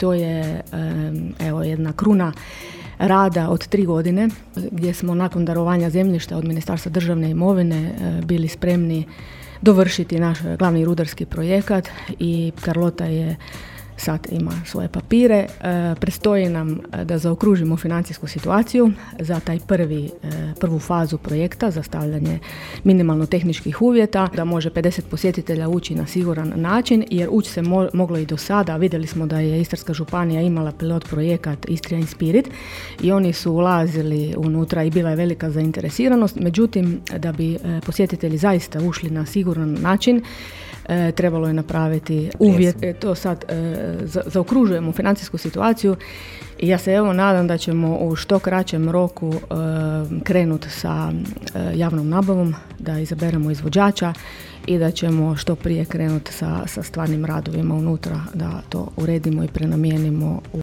to je evo jedna kruna rada od 3 godine gdje smo nakon darovanja zemljišta od Ministarstva državne imovine bili spremni dovršiti naš glavni rudarski projekat i Carlota je sad ima svoje papire. Predstoji nam da zaokružimo financijsku situaciju za taj prvu fazu projekta za stavljanje minimalno tehničkih uvjeta, da može 50 posjetitelja ući na siguran način, jer ući se moglo i do sada. Vidjeli smo da je Istarska županija imala pilot projekat Istria in Spirit i oni su ulazili unutra i bila je velika zainteresiranost. Međutim, da bi posjetitelji zaista ušli na siguran način, trebalo je napraviti uvjet. To sad zaokružujemo financijsku situaciju i ja se evo nadam da ćemo u što kraćem roku krenuti sa javnom nabavom, da izaberemo izvođača i da ćemo što prije krenuti sa stvarnim radovima unutra, da to uredimo i prenamijenimo u